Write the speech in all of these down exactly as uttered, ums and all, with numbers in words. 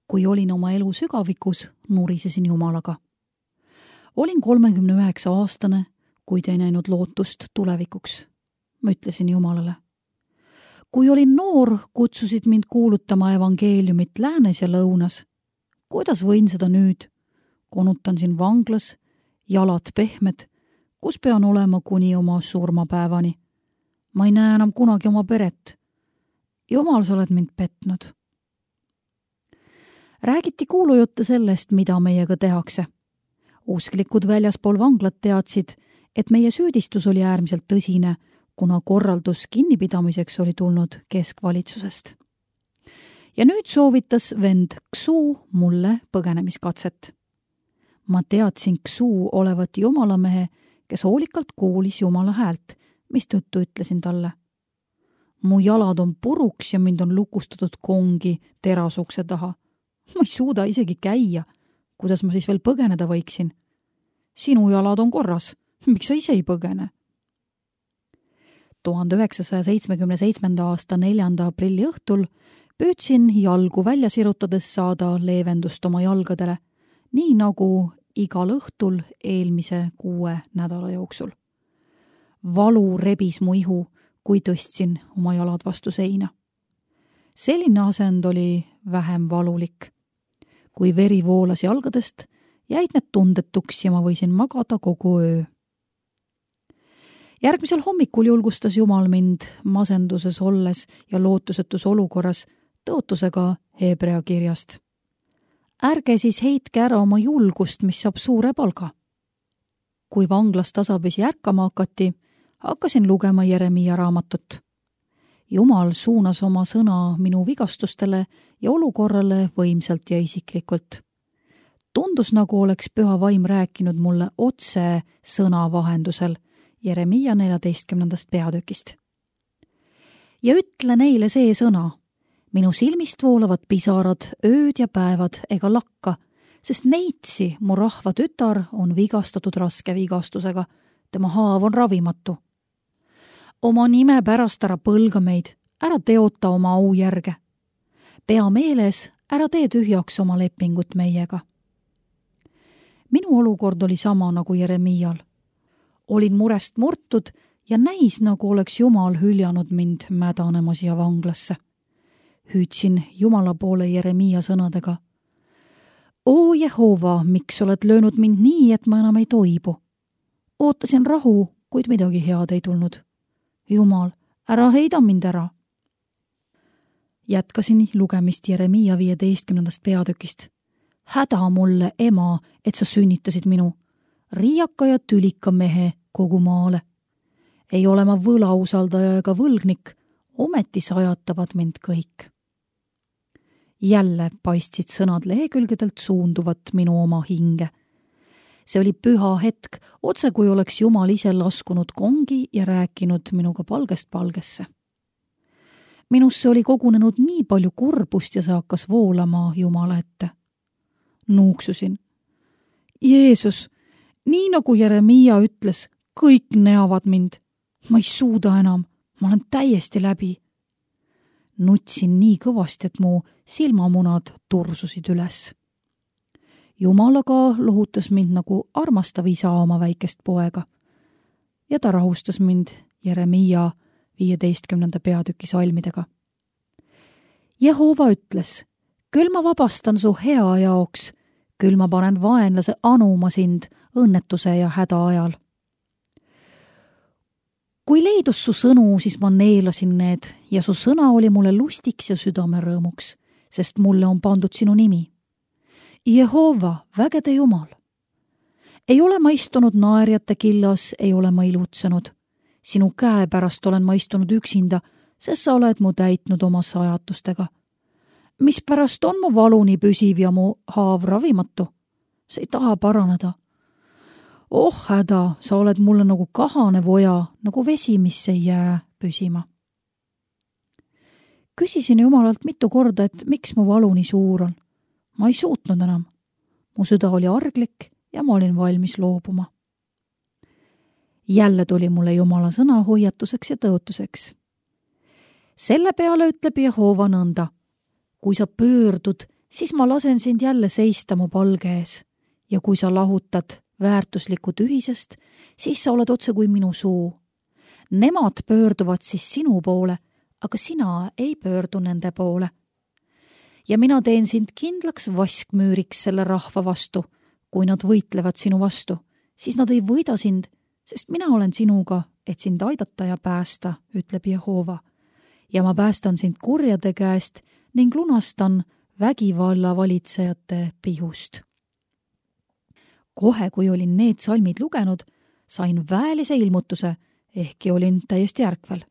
kui olin oma elu sügavikus, nurisesin Jumalaga. Olin kolmekümne üheksa aastane, kuid ei näinud lootust tulevikuks. Ma ütlesin Jumalale. Kui olin noor, kutsusid mind kuulutama evangeeliumit läänes ja lõunas. Kuidas võin seda nüüd? Konutan siin vanglas, jalad pehmed, kus pean olema kuni oma surmapäevani. Ma ei näe enam kunagi oma peret. Jumal, sa oled mind petnud. Räägiti kuulujutte sellest, mida meiega tehakse. Usklikud väljaspool vanglat teadsid, et meie süüdistus oli äärmiselt tõsine, kuna korraldus kinnipidamiseks oli tulnud keskvalitsusest. Ja nüüd soovitas vend Ksu mulle põgenemiskatset. Ma teadsin Ksu olevat jumalamehe, kes hoolikalt kuulis Jumala häält, mistõttu ütlesin talle. Mu jalad on puruks ja mind on lukustatud kongi terasukse taha. Ma ei suuda isegi käia. Kuidas ma siis veel põgeneda võiksin? Sinu jalad on korras. Miks sa ise ei põgene? tuhande üheksasaja seitsmekümne seitsmenda aasta neljanda aprilli õhtul püüdsin jalgu välja sirutades saada leevendust oma jalgadele, nii nagu igal õhtul eelmise kuue nädala jooksul. Valu rebis mu ihu, kui tõstsin oma jalad vastu seina. Selline asend oli vähem valulik. Kui veri voolas jalgadest, jäid need tundetuks ja ma võisin magada kogu öö. Järgmisel hommikul julgustas Jumal mind masenduses olles ja lootusetus olukorras tõotusega Hebrea kirjast. Ärge siis heitke ära oma julgust, mis saab suure palga. Kui vanglas tasapisi ärkama hakati, hakkasin lugema Jeremiia raamatut. Jumal suunas oma sõna minu vigastustele ja olukorrale võimsalt ja isiklikult. Tundus, nagu oleks püha vaim rääkinud mulle otse sõna vahendusel Jeremiia neljateistkümnendast peatükist. Ja ütle neile see sõna. Minu silmist voolavad pisarad ööd ja päevad ega lakka, sest neitsi mu rahva tütar on vigastatud raske vigastusega. Tema haav on ravimatu. Oma nime pärast ära põlga meid, ära teota oma au järge. Pea meeles, ära tee tühjaks oma lepingut meiega. Minu olukord oli sama nagu Jeremiial. Olin murest murtud ja näis, nagu oleks Jumal hüljanud mind mädanemas ja vanglasse. Hüüdsin Jumala poole Jeremiia sõnadega. O Jehova, miks oled löönud mind nii, et ma enam ei toibu? Ootasin rahu, kuid midagi head ei tulnud. Jumal, ära heida mind ära. Jätkasin lugemist Jeremiia viieteistkümnendast peatükist. Häda mulle, ema, et sa sünnitasid minu. Riiaka ja tülika mehe kogu maale. Ei ole ma võlausaldaja ega võlgnik, ometi sajatavad mind kõik. Jälle paistsid sõnad lehekülgedelt suunduvat minu oma hinge. See oli püha hetk, otse kui oleks Jumal ise laskunud kongi ja rääkinud minuga palgest palgesse. Minusse oli kogunenud nii palju kurbust ja see hakkas voolama Jumala ette. Nuuksusin. Jeesus, nii nagu Jeremiia ütles, kõik neavad mind. Ma ei suuda enam, ma olen täiesti läbi. Nutsin nii kõvasti, et mu silmamunad tursusid üles. Jumalaga lohutas mind nagu armastav isa oma väikest poega. Ja ta rahustas mind Jeremiia viieteistkümnenda peatüki salmidega. Jehova ütles, küll ma vabastan su hea jaoks, küll ma panen vaenlase anuma sind õnnetuse ja häda ajal. Kui leidus su sõnu, siis ma neelasin need ja su sõna oli mulle lustiks ja südamerõõmuks, sest mulle on pandud sinu nimi. Jehova, vägede Jumal. Ei ole ma istunud naerjate killas, ei ole ma ilutsenud. Sinu käe pärast olen ma istunud üksinda, sest sa oled mu täitnud oma sajatustega. Mis pärast on mu valu nii püsiv ja mu haav ravimatu? See ei taha paraneda. Oh häda, sa oled mulle nagu kahane voja, nagu vesi, mis ei jää püsima. Küsisin Jumalalt mitu korda, et miks mu valu nii suur on. Ma ei suutnud enam. Mu süda oli arglik ja ma olin valmis loobuma. Jälle tuli mulle Jumala sõna hoiatuseks ja tõotuseks. Selle peale ütleb Jehova nõnda. Kui sa pöördud siis ma lasen sind jälle seista mu palge ees ja kui sa lahutad väärtuslikud ühisest, siis sa oled otse kui minu suu. Nemad pöörduvad siis sinu poole, aga sina ei pöördu nende poole. Ja mina teen sind kindlaks vaskmüüriks selle rahva vastu. Kui nad võitlevad sinu vastu, siis nad ei võida sind, sest mina olen sinuga, et sind aidata ja päästa, ütleb Jehova. Ja ma päästan sind kurjade käest ning lunastan vägivalla valitsejate pihust. Kohe, kui olin need salmid lugenud, sain väelise ilmutuse, ehkki olin täiesti ärkvel.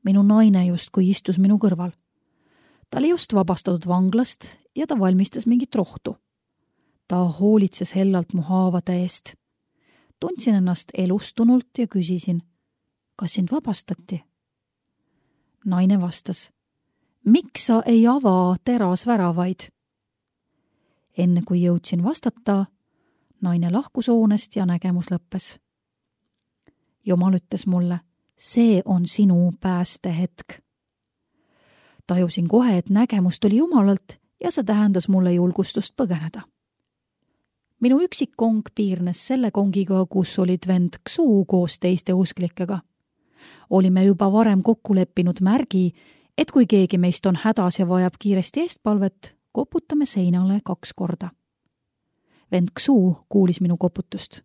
Minu naine justkui istus minu kõrval. Ta oli just vabastatud vanglast ja ta valmistas mingit rohtu. Ta hoolitses hellalt mu haavade eest. Tundsin ennast elustunult ja küsisin, kas sind vabastati? Naine vastas, miks sa ei ava terasväravaid? Enne kui jõudsin vastata, naine lahkus hoonest ja nägemus lõppes. Jumal ütles mulle, see on sinu päästehetk. Tajusin kohe, et nägemus tuli Jumalalt ja see tähendas mulle julgustust põgeneda. Minu üksik kong piirnes selle kongiga, kus olid vend Ksuu koos teiste usklikega. Olime juba varem kokku leppinud märgi, et kui keegi meist on hädas ja vajab kiiresti eestpalvet, koputame seinale kaks korda. Vend Ksuu kuulis minu koputust.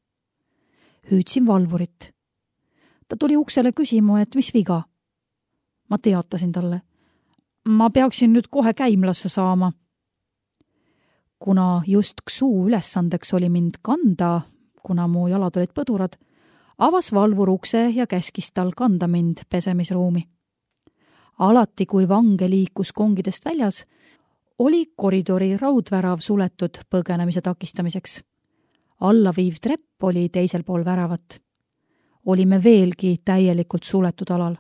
Hüüdsin valvurit. Ta tuli uksele küsima, et mis viga. Ma teatasin talle. Ma peaksin nüüd kohe käimlasse saama. Kuna just Ksuu ülesandeks oli mind kanda, kuna mu jalad olid põdurad, avas valvur ukse ja käskis tal kanda mind pesemisruumi. Alati, kui vange liikus kongidest väljas, oli koridori raudvärav suletud põgenemise takistamiseks. Allaviiv trepp oli teisel pool väravat. Olime veelgi täielikult suletud alal.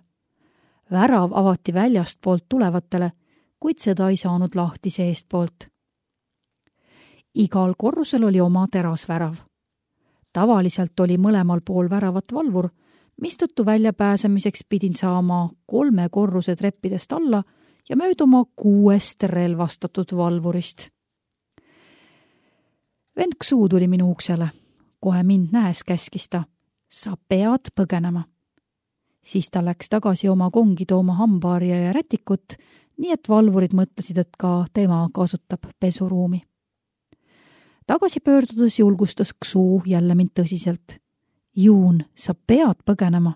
Värav avati väljast poolt tulevatele, kuid seda ei saanud lahti seest poolt. Igal korrusel oli oma terasvärav. Tavaliselt oli mõlemal pool väravat valvur, mistõttu väljapääsemiseks pidin saama kolme korruse treppidest alla ja mööduma kuuest relvastatud valvurist. Vend Ksuu tuli minu uksele. Kohe mind nähes käskis ta. Sa pead põgenema. Siis ta läks tagasi oma kongi tooma hambaarja ja rätikut, nii et valvurid mõtlesid, et ka tema kasutab pesuruumi. Tagasi pöördudes julgustas Ksuu jälle mind tõsiselt. Juun, sa pead põgenema.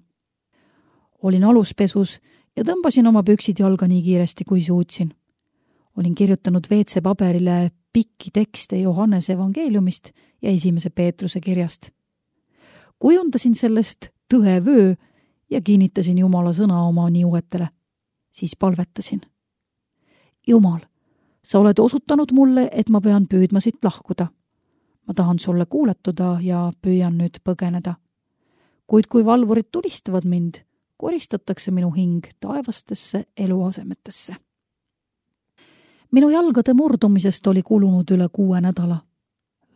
Olin aluspesus ja tõmbasin oma püksid jalga nii kiiresti, kui suutsin. Olin kirjutanud V C paberile pikki tekste Johannese evangeeliumist ja esimese Peetruse kirjast. Kujundasin sellest tõevöö ja kinnitasin Jumala sõna oma niuetele. Siis palvetasin. Jumal, sa oled osutanud mulle, et ma pean püüdma siit lahkuda. Ma tahan sulle kuuletuda ja püüan nüüd põgeneda. Kuid kui valvurid tulistavad mind, koristatakse minu hing taevastesse eluasemetesse. Minu jalgade murdumisest oli kulunud üle kuue nädala.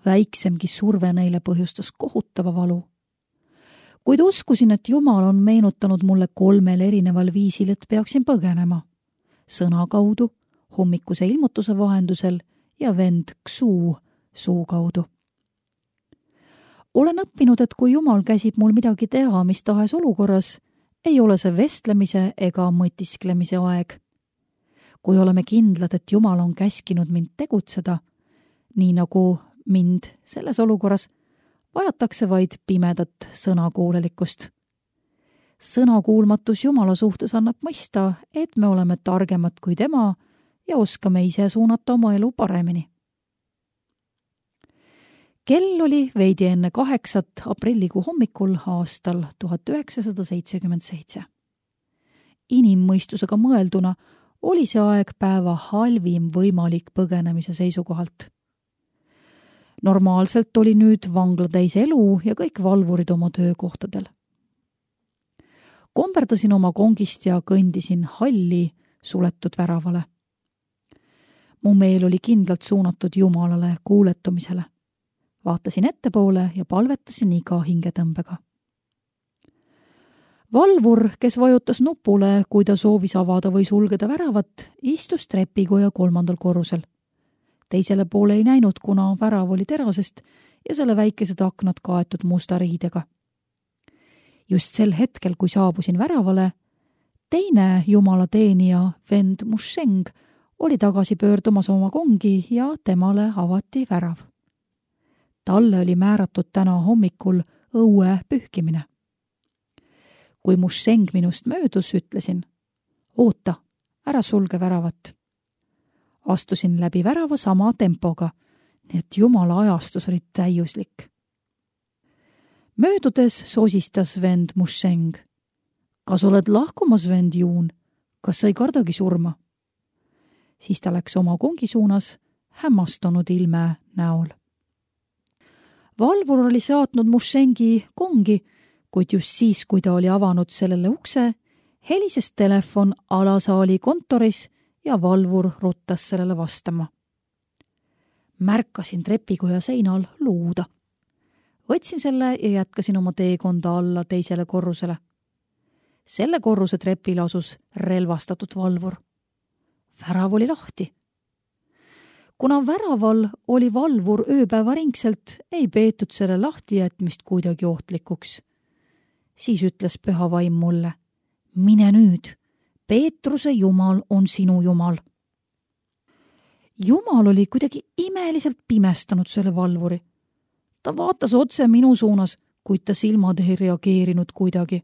Väiksemgi surve neile põhjustas kohutava valu. Kuid uskusin, et Jumal on meenutanud mulle kolmel erineval viisil, et peaksin põgenema. Sõna kaudu, hommikuse ilmutuse vahendusel ja vend Ksuu suu kaudu. Olen õppinud, et kui Jumal käsib mul midagi teha mis tahes olukorras, ei ole see vestlemise ega mõtisklemise aeg. Kui oleme kindlad, et Jumal on käskinud mind tegutseda, nii nagu mind selles olukorras, vajatakse vaid pimedat sõnakuulelikkust. Sõnakuulmatus Jumala suhtes annab mõista, et me oleme targemad kui tema ja oskame ise suunata oma elu paremini. Kell oli veidi enne kaheksat aprillikuu hommikul aastal tuhat üheksasada seitsekümmend seitse. Inimmõistusega mõelduna oli see aeg päeva halvim võimalik põgenemise seisukohalt. Normaalselt oli nüüd vangla täis elu ja kõik valvurid oma töökohtadel. Komberdasin oma kongist ja kõndisin halli suletud väravale. Mu meel oli kindlalt suunatud Jumalale kuuletumisele. Vaatasin ettepoole ja palvetasin iga hingetõmbega. Valvur, kes vajutas nupule, kui ta soovis avada või sulgeda väravat, istus trepikoja kolmandal korrusel. teisele poole ei näinud, kuna värav oli terasest ja selle väikesed aknad kaetud musta riidega. Just sel hetkel, kui saabusin väravale, teine jumalateenija vend Musheng oli tagasi pöördumas oma kongi ja temale avati värav. Talle oli määratud täna hommikul õue pühkimine. Kui Musheng minust möödus, ütlesin, oota, ära sulge väravat. Astusin läbi värava sama tempoga, nii et jumala ajastus oli täiuslik. Möödudes sosistas vend Musheng. Kas oled lahkumas, vend Juun? Kas sa ei kardagi surma? Siis ta läks oma kongi suunas hämmastunud ilme näol. Valvur oli saatnud Mushengi kongi, kuid just siis, kui ta oli avanud sellele ukse, helises telefon alasaali kontoris ja valvur ruttas sellele vastama. Märkasin trepikoja seinal luuda. Võtsin selle ja jätkasin oma teekonda alla teisele korrusele. Selle korruse trepil asus relvastatud valvur. Värav oli lahti. Kuna väraval oli valvur ööpäevaringselt, ei peetud selle lahti jätmist kuidagi ohtlikuks. Siis ütles püha vaim mulle, mine nüüd, Peetruse Jumal on sinu Jumal. Jumal oli kuidagi imeliselt pimestanud selle valvuri. Ta vaatas otse minu suunas, kuid ta silmad ei reageerinud kuidagi.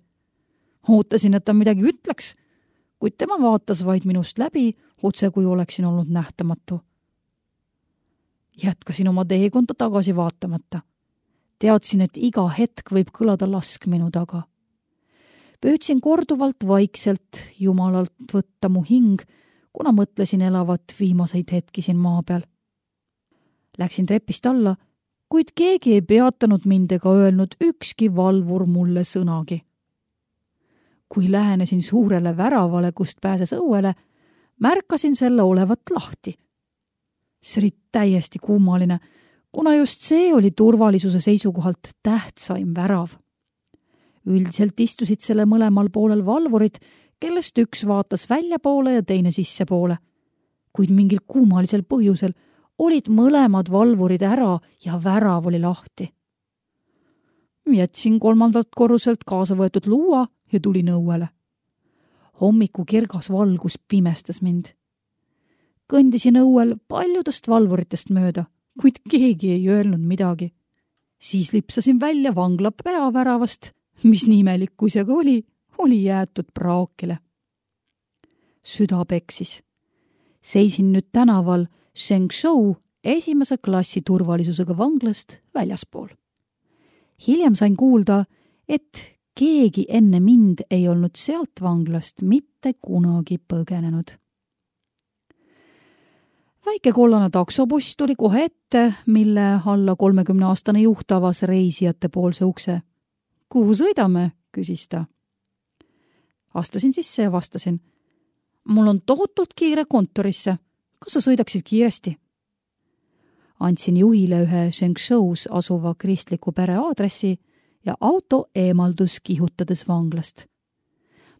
Ootasin, et ta midagi ütleks, kuid tema vaatas vaid minust läbi, otse kui oleksin olnud nähtamatu. Jätkasin oma teekonda tagasi vaatamata. Teadsin, et iga hetk võib kõlada lask minu taga. Püüdsin korduvalt vaikselt Jumalalt võtta mu hing, kuna mõtlesin elavat viimaseid hetki siin maa peal. Läksin trepist alla, kuid keegi ei peatanud mind ega öelnud ükski valvur mulle sõnagi. Kui lähenesin suurele väravale, kust pääses õuele, märkasin selle olevat lahti. See oli täiesti kummaline, kuna just see oli turvalisuse seisukohalt tähtsaim värav. Üldiselt istusid selle mõlemal poolel valvurid, kellest üks vaatas väljapoole ja teine sissepoole. Kuid mingil kummalisel põhjusel olid mõlemad valvurid ära ja värav oli lahti. Jätsin kolmandalt korruselt kaasa võetud luua ja tulin õuele. Hommiku kirgas valgus pimestas mind. Kõndisin õuel paljudest valvuritest mööda, kuid keegi ei öelnud midagi. Siis lipsasin välja vangla peaväravast, mis nimelik kui see ka oli, oli jäetud praakile. Süda peksis. Seisin nüüd tänaval Shengshou esimese klassi turvalisusega vanglast väljaspool. Hiljem sain kuulda, et keegi enne mind ei olnud sealt vanglast mitte kunagi põgenenud. Väike kollane taksobuss tuli kohe ette, mille alla kolmekümneaastane juht avas reisijate poolse ukse. Kuhu sõidame, küsis ta. Astusin sisse ja vastasin. Mul on tohutult kiire kontorisse. Kas sa sõidaksid kiiresti? Andsin juhile ühe Shengshous asuva kristliku pere aadressi ja auto eemaldus kihutades vanglast.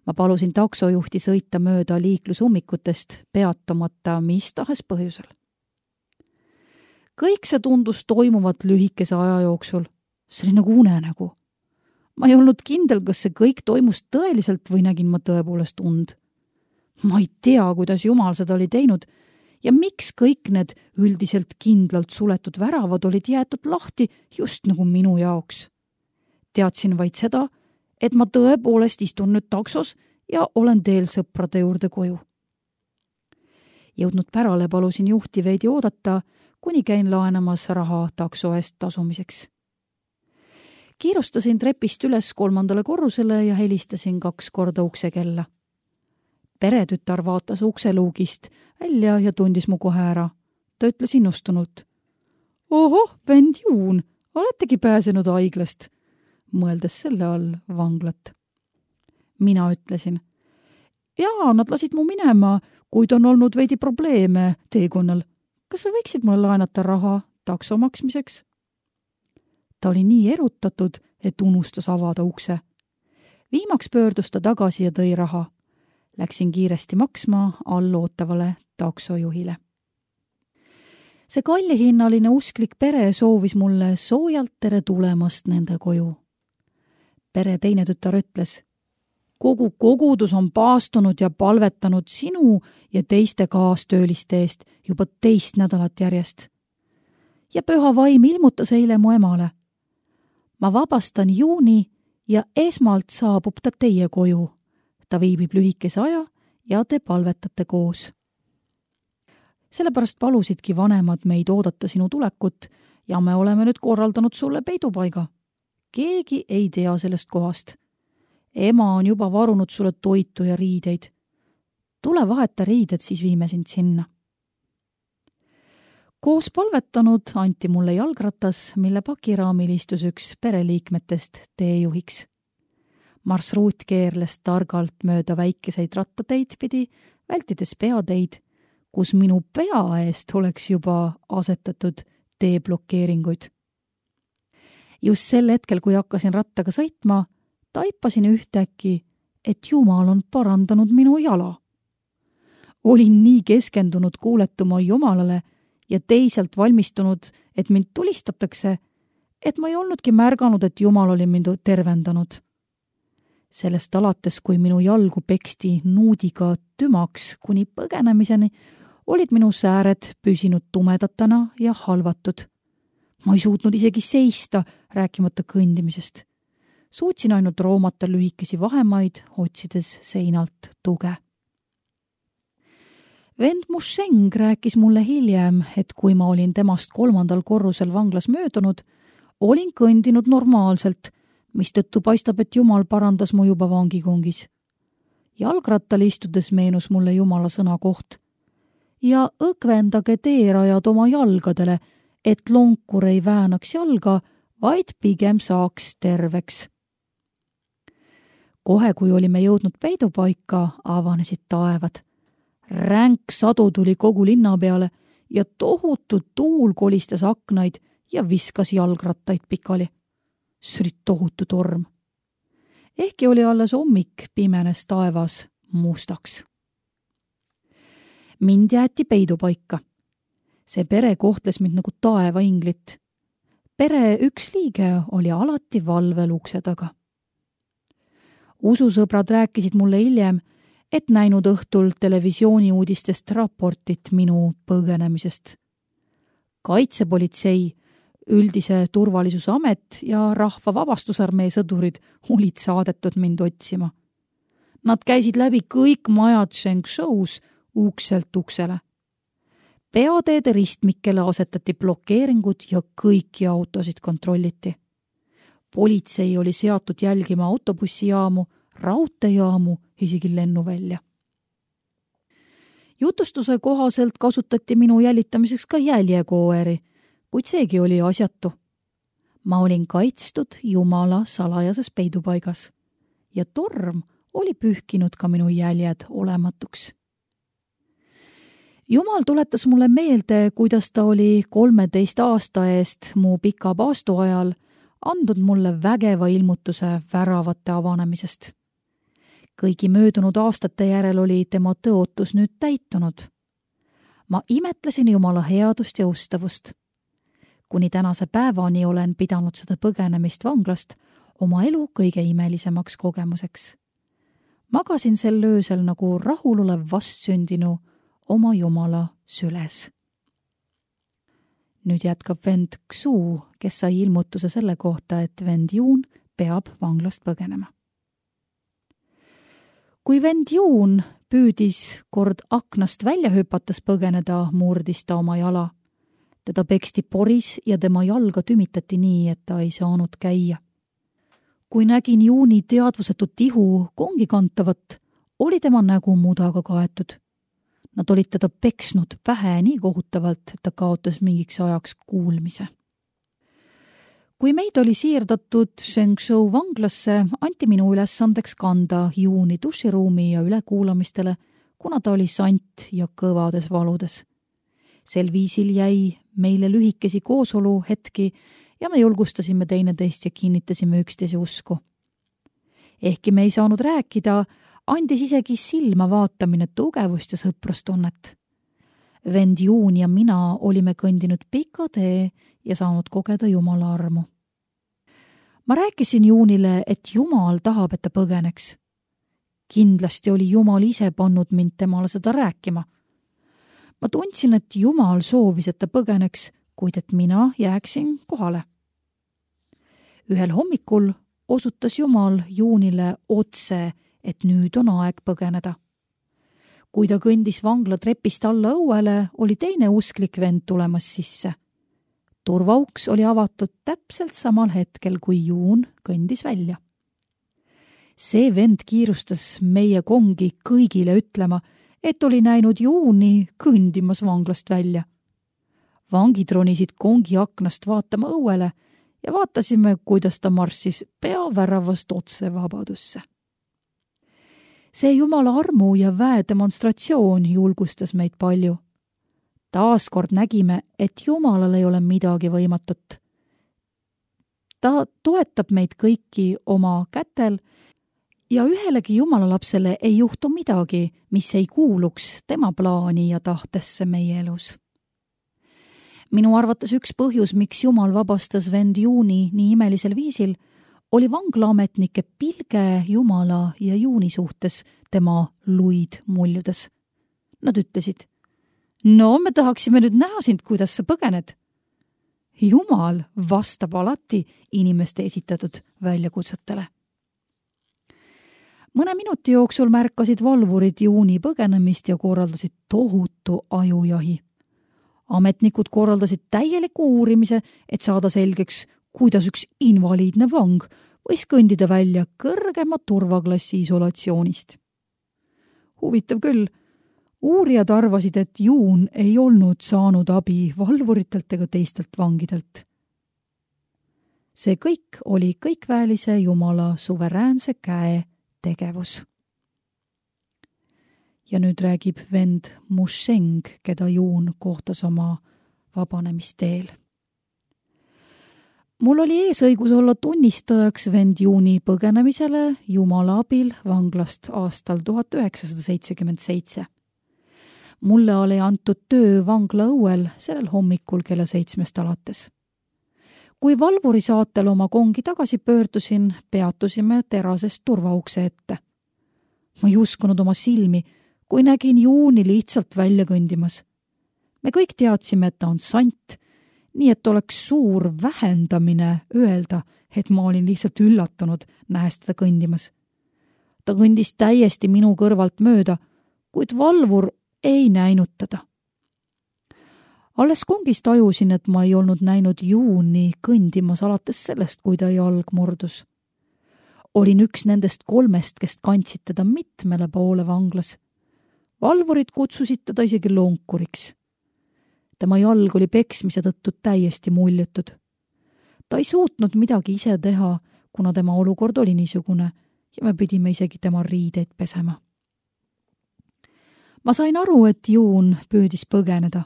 Ma palusin taksojuhti sõita mööda liiklusummikutest, peatumata mis tahes põhjusel. Kõik see tundus toimuvat lühikese aja jooksul. See oli nagu unenägu. Ma ei olnud kindel, kas see kõik toimus tõeliselt või nägin ma tõepoolest und. Ma ei tea, kuidas Jumal seda oli teinud ja miks kõik need üldiselt kindlalt suletud väravad olid jäetud lahti just nagu minu jaoks. Teadsin vaid seda, et ma tõepoolest istun nüüd taksos ja olen teel sõprade juurde koju. Jõudnud pärale palusin juhti veidi oodata, kuni käin laenamas raha takso eest tasumiseks. Kiirustasin trepist üles kolmandale korrusele ja helistasin kaks korda uksekella. Peretütar vaatas ukseluugist välja ja tundis mu kohe ära. Ta ütles innustunult. Ohoh, vend Juun, oletegi pääsenud haiglast, mõeldes selle all vanglat. Mina ütlesin. Jaa, nad lasid mu minema, kuid on olnud veidi probleeme teekonnal. Kas sa võiksid mulle laenata raha takso maksmiseks? Ta oli nii erutatud, et unustas avada ukse. Viimaks pöördus ta tagasi ja tõi raha. Läksin kiiresti maksma allootavale taksojuhile. see kallihinnaline usklik pere soovis mulle soojalt tere tulemast nende koju. Pere teine tütar ütles, kogu kogudus on paastunud ja palvetanud sinu ja teiste kaastööliste eest juba teist nädalat järjest. Ja püha vaim ilmutas eile mu emale. Ma vabastan Juuni ja esmalt saabub ta teie koju. Ta viibib lühikese aja ja te palvetate koos. Sellepärast palusidki vanemad meid oodata sinu tulekut ja me oleme nüüd korraldanud sulle peidupaiga. Keegi ei tea sellest kohast. Ema on juba varunud sulle toitu ja riideid. Tule vaheta riided, siis viime sind sinna. Koos palvetanud anti mulle jalgratas, mille pakiraamil istus üks pereliikmetest teejuhiks. Marsruut keerles targalt mööda väikeseid rattateid pidi, vältides peateid, kus minu pea eest oleks juba asetatud teeblokeeringuid. Just sel hetkel, kui hakkasin rattaga sõitma, taipasin ühtäkki, et Jumal on parandanud minu jala. Olin nii keskendunud kuuletuma Jumalale ja teisalt valmistunud, et mind tulistatakse, et ma ei olnudki märganud, et Jumal oli mind tervendanud. Sellest alates, kui minu jalgu peksti nuudiga tümaks kuni põgenemiseni, olid minu sääred püsinud tumedatana ja halvatud. Ma ei suutnud isegi seista, rääkimata kõndimisest. Suutsin ainult roomata lühikesi vahemaid, otsides seinalt tuge. Vend Musheng rääkis mulle hiljem, et kui ma olin temast kolmandal korrusel vanglas möödunud, olin kõndinud normaalselt, mistõttu paistab, et Jumal parandas mu juba vangikongis. Jalgrattal istudes meenus mulle Jumala sõna koht. Ja õkvendage teerajad oma jalgadele, et lonkur ei väänaks jalga, vaid pigem saaks terveks. Kohe, kui olime jõudnud peidupaika, avanesid taevad. Ränk sadu tuli kogu linna peale ja tohutu tuul kolistas aknaid ja viskas jalgrattaid pikali. See oli tohutu torm. Ehkki oli alles hommik, pimenes taevas mustaks. Mind jäeti peidupaika. See pere kohtles mind nagu taevainglit. Pere üks liige oli alati valvel ukse taga. Ususõbrad rääkisid mulle hiljem, et näinud õhtul televisiooni uudistest raportit minu põgenemisest. Kaitsepolitsei, üldise turvalisuse amet ja rahva vabastusarmee sõdurid olid saadetud mind otsima. Nad käisid läbi kõik majad Shengshous ukselt uksele. Peateede ristmikele asetati blokeeringud ja kõiki autosid kontrolliti. Politsei oli seatud jälgima autobussijaamu, raudteejaamu, isegi lennuvälja. Jutustuse kohaselt kasutati minu jälitamiseks ka jäljekoeri, kuid seegi oli asjatu. Ma olin kaitstud Jumala salajases peidupaigas ja torm oli pühkinud ka minu jäljed olematuks. Jumal tuletas mulle meelde, kuidas ta oli kolmeteist aasta eest mu pika paastu ajal andnud mulle vägeva ilmutuse väravate avanemisest. Kõigi möödunud aastate järel oli tema tõotus nüüd täitunud. Ma imetlesin Jumala headust ja ustavust. Kuni tänase päevani olen pidanud seda põgenemist vanglast oma elu kõige imelisemaks kogemuseks. Magasin sel öösel nagu rahulolev vastsündinu oma Jumala süles. Nüüd jätkab vend Xu, kes sai ilmutuse selle kohta, et vend Juun peab vanglast põgenema. Kui vend Juun püüdis kord aknast välja hüpates põgeneda, murdis ta oma jala. Teda peksti poris ja tema jalga tümitati nii, et ta ei saanud käia. Kui nägin Juuni teadvusetut ihu kongi kantavat, oli tema nägu mudaga kaetud. Nad olid teda peksnud pähe nii kohutavalt, et ta kaotas mingiks ajaks kuulmise. Kui meid oli siirdatud Shengshou vanglasse, anti minu ülesandeks kanda Juuni duširuumi ja ülekuulamistele, kuna ta oli sant ja kõvades valudes. Sel viisil jäi meile lühikesi koosolu hetki ja me julgustasime teineteist ja kinnitasime üksteise usku. Ehkki me ei saanud rääkida, andis isegi silma vaatamine tugevust ja sõprustunnet. vend Juun ja mina olime kõndinud pika tee ja saanud kogeda Jumala armu. Ma rääkisin Juunile, et Jumal tahab, et ta põgeneks. Kindlasti oli Jumal ise pannud mind temale seda rääkima. Ma tundsin, et Jumal soovis, et ta põgeneks, kuid et mina jääksin kohale. Ühel hommikul osutas Jumal Juunile otse, et nüüd on aeg põgeneda. Kui ta kõndis vangla trepist alla õuele, oli teine usklik vend tulemas sisse. Turvauks oli avatud täpselt samal hetkel, kui Juun kõndis välja. See vend kiirustas meie kongi kõigile ütlema, et oli näinud Juuni kõndimas vanglast välja. Vangid ronisid kongi aknast vaatama õuele ja vaatasime, kuidas ta marssis peaväravast otse vabadusse. See Jumala armu ja väe demonstratsioon julgustas meid palju. Taaskord nägime, et Jumalal ei ole midagi võimatut. Ta toetab meid kõiki oma kätel ja ühelegi Jumala lapsele ei juhtu midagi, mis ei kuuluks tema plaani ja tahtesse meie elus. Minu arvates üks põhjus, miks Jumal vabastas vend Juuni nii imelisel viisil, oli vanglaametnike pilge Jumala ja Juuni suhtes tema luid muljudes. Nad ütlesid, no me tahaksime nüüd näha sind, kuidas sa põgened. Jumal vastab alati inimeste esitatud väljakutsetele. Mõne minuti jooksul märkasid valvurid Juuni põgenemist ja korraldasid tohutu ajujahi. Ametnikud korraldasid täieliku uurimise, et saada selgeks, kuidas üks invaliidne vang võis kõndida välja kõrgema turvaklassi isolatsioonist. Huvitav küll, uurijad arvasid, et Juun ei olnud saanud abi valvuritelt ega teistelt vangidelt. See kõik oli kõikväelise Jumala suveräänse käe tegevus. Ja nüüd räägib vend Musheng, keda Juun kohtas oma vabanemisteel. Mul oli eesõigus olla tunnistajaks vend Juuni põgenemisele Jumala abil vanglast aastal tuhat üheksasada seitsekümmend seitse. Mulle oli antud töö vangla õuel sellel hommikul kella seitsmest alates. Kui valvuri saatel oma kongi tagasi pöördusin, peatusime terasest turvaukse ette. Ma ei uskunud oma silmi, kui nägin Juuni lihtsalt välja kõndimas. Me kõik teadsime, et ta on sant, nii et oleks suur vähendamine öelda, et ma olin lihtsalt üllatunud, nähes teda kõndimas. Ta kõndis täiesti minu kõrvalt mööda, kuid valvur ei näinud teda. Alles kongist tajusin, et ma ei olnud näinud Juuni kõndimas alates sellest, kui ta jalg murdus. Olin üks nendest kolmest, kes kandsid teda mitmele poole vanglas. Valvurid kutsusid teda isegi lonkuriks. Tema jalg oli peksmise tõttu täiesti muljetud. Ta ei suutnud midagi ise teha, kuna tema olukord oli niisugune ja me pidime isegi tema riideid pesema. Ma sain aru, et Juun püüdis põgeneda.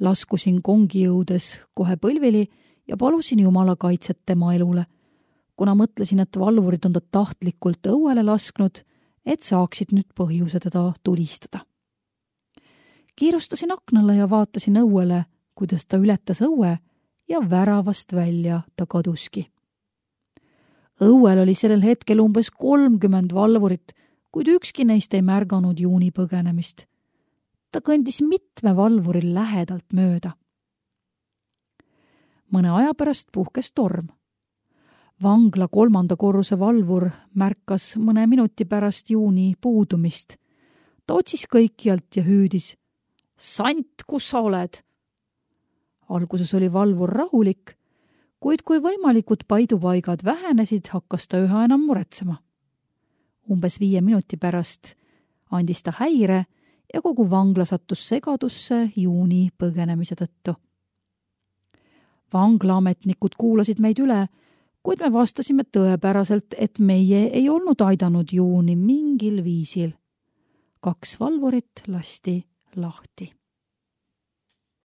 Laskusin kongi jõudes kohe põlvili ja palusin Jumala kaitset tema elule, kuna mõtlesin, et valvurid on ta tahtlikult õuele lasknud, et saaksid nüüd põhjuse teda tulistada. Kiirustasin aknale ja vaatasin õuele, kuidas ta ületas õue ja väravast välja ta kaduski. Õuel oli sellel hetkel umbes kolmkümmend valvurit, kuid ükski neist ei märganud Juuni põgenemist. Ta kõndis mitme valvuril lähedalt mööda. Mõne aja pärast puhkes torm. Vangla kolmanda korruse valvur märkas mõne minuti pärast Juuni puudumist. Ta otsis kõikjalt ja hüüdis, sant, kus sa oled? Alguses oli valvur rahulik, kuid kui võimalikud paidupaigad vähenesid, hakkas ta üha enam muretsema. Umbes viie minuti pärast andis ta häire ja kogu vangla sattus segadusse Juuni põgenemise tõttu. Vanglaametnikud kuulasid meid üle, kuid me vastasime tõepäraselt, et meie ei olnud aidanud Juuni mingil viisil. Kaks valvurit lasti lahti.